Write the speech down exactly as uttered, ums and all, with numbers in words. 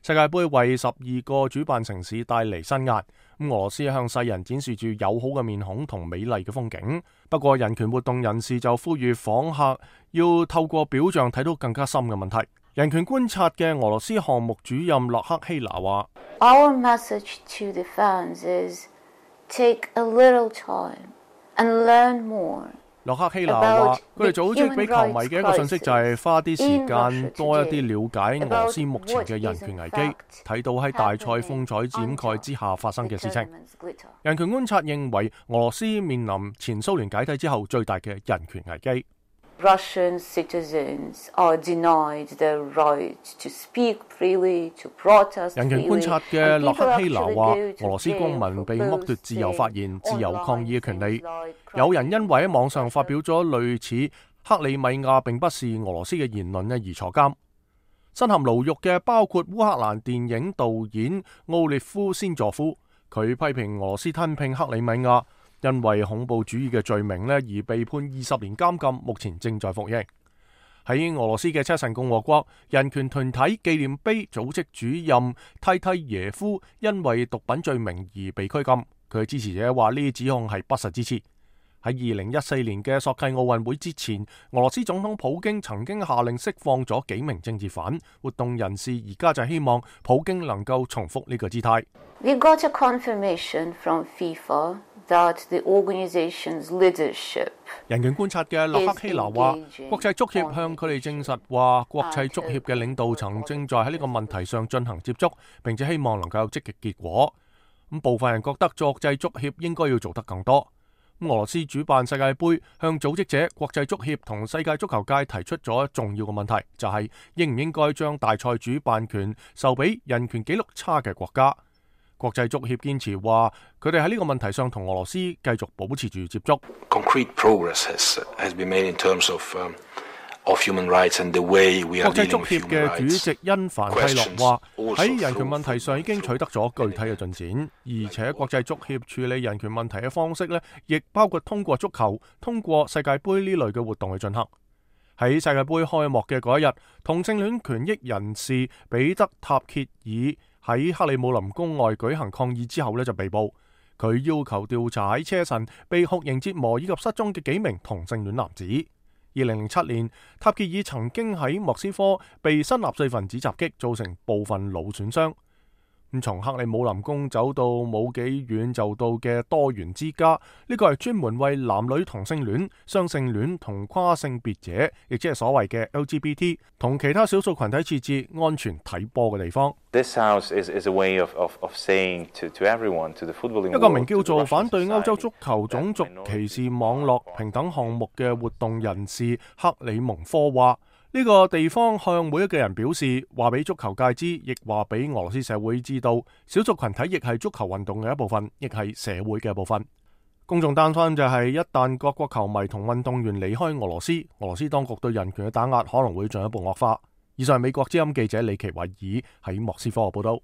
世界盃為十二個主辦城市帶嚟新壓，俄羅斯向世人展示住友好嘅面孔同美麗嘅風景。不過人權活動人士就呼籲訪客要透過表象睇到更加深嘅問題。人權觀察嘅俄羅斯項目主任洛克希拿話 ：Our message to the fans is take a little time and learn more。洛克希拿話：佢哋組織俾球迷嘅一個信息就係花啲時間多一啲了解俄羅斯目前嘅人權危機，睇到喺大賽風采展蓋之下發生嘅事情。人權觀察認為，俄羅斯面臨前蘇聯解體之後最大嘅人權危機。Russian citizens are denied the right to speak freely, to protest freely. 人權觀察嘅洛克希拿話：俄羅斯公民被剝奪自由發言、自由抗議嘅權利。有人因為喺網上發表咗類似克里米亞並不是俄羅斯嘅言論咧而坐監。身陷牢獄嘅包括烏克蘭電影導演奧列夫先佐夫，佢批評俄羅斯吞併克里米亞。因為恐怖主義嘅罪名咧而被判二十年監禁，目前正在服刑。喺俄羅斯嘅車臣共和國，人權團體紀念碑組織主任蒂蒂耶夫因為毒品罪名而被拘禁。佢嘅支持者話呢啲指控係不實之詞。喺二零一四年嘅索契奧運會之前，俄羅斯總統普京曾經下令釋放咗幾名政治犯。活動人士而家就希望普京能夠重複呢個姿態。We got a confirmation from FIFA that the organization's leadership 人權觀察嘅洛克希拿話，國際足協向佢哋證實話，國際足協嘅領導層正在喺呢個問題上進行接觸，並且希望能夠有積極結果。咁部分人覺得國際足協應該要做得更多。俄羅斯主辦世界盃，向組織者、國際足協同世界足球界提出咗重要嘅問題，就係應唔應該將大賽主辦權授俾人權紀錄差嘅國家。國際足協堅持話，佢哋喺呢個問題上同俄羅斯繼續保持住接觸。Concrete progress has, has been made in terms of, um, of human rights and the way we are dealing with human rights. 國際足協嘅主席因凡蒂諾話，喺人權問題上已經取得咗具體嘅進展，而且國際足協處理人權問題嘅方式呢，亦包括通過足球、通過世界盃呢類嘅活動去進行。喺世界盃開幕嘅嗰一日，同性戀權益人士彼得塔歇爾喺克里姆林宮外舉行抗議之後呢就被捕。佢要求調查喺車臣被酷刑折磨以及失蹤嘅幾名同性戀男子。二零零七年，塔歇爾曾經喺莫斯科被新納粹分子襲擊，造成部分腦損傷。咁從克里姆林宮走到冇幾遠就到嘅多元之家，呢個係專門為男女同性戀、雙性戀同跨性別者，亦即係所謂嘅 L G B T 同其他少數群體設置安全睇波嘅地方。This house is, is a way of, of, of saying to, to everyone, to the footballing world, 一個名叫做反對歐洲足球種族歧視網絡平等項目嘅活動人士克里蒙科話：呢個地方向每一個人表示，話俾足球界知，亦話俾俄羅斯社會知道，少數群體亦係足球運動嘅一部分，亦係社會嘅一部分。公眾擔心就係一旦各國球迷同運動員離開俄羅斯，俄羅斯當局對人權嘅打壓可能會進一步惡化。以上係美國之音記者李奇偉爾喺莫斯科嘅報道。